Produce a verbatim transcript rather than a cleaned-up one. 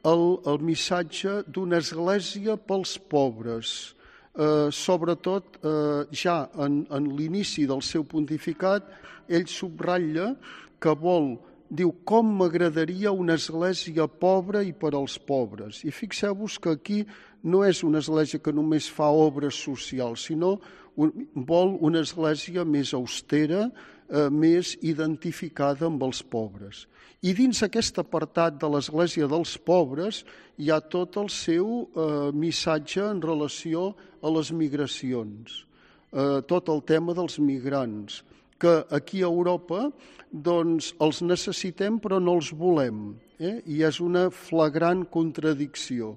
el, el missatge d'una església pels pobres. Eh, sobretot, eh, ja en, en l'inici del seu pontificat, ell subratlla que vol, diu, com m'agradaria una església pobra i per als pobres. I fixeu-vos que aquí no és una església que només fa obres socials, sinó un, vol una església més austera, eh, més identificada amb els pobres. I dins aquest apartat de l'església dels pobres hi ha tot el seu eh, missatge en relació a les migracions, eh, tot el tema dels migrants, que aquí a Europa doncs, els necessitem però no els volem, eh? I és una flagrant contradicció.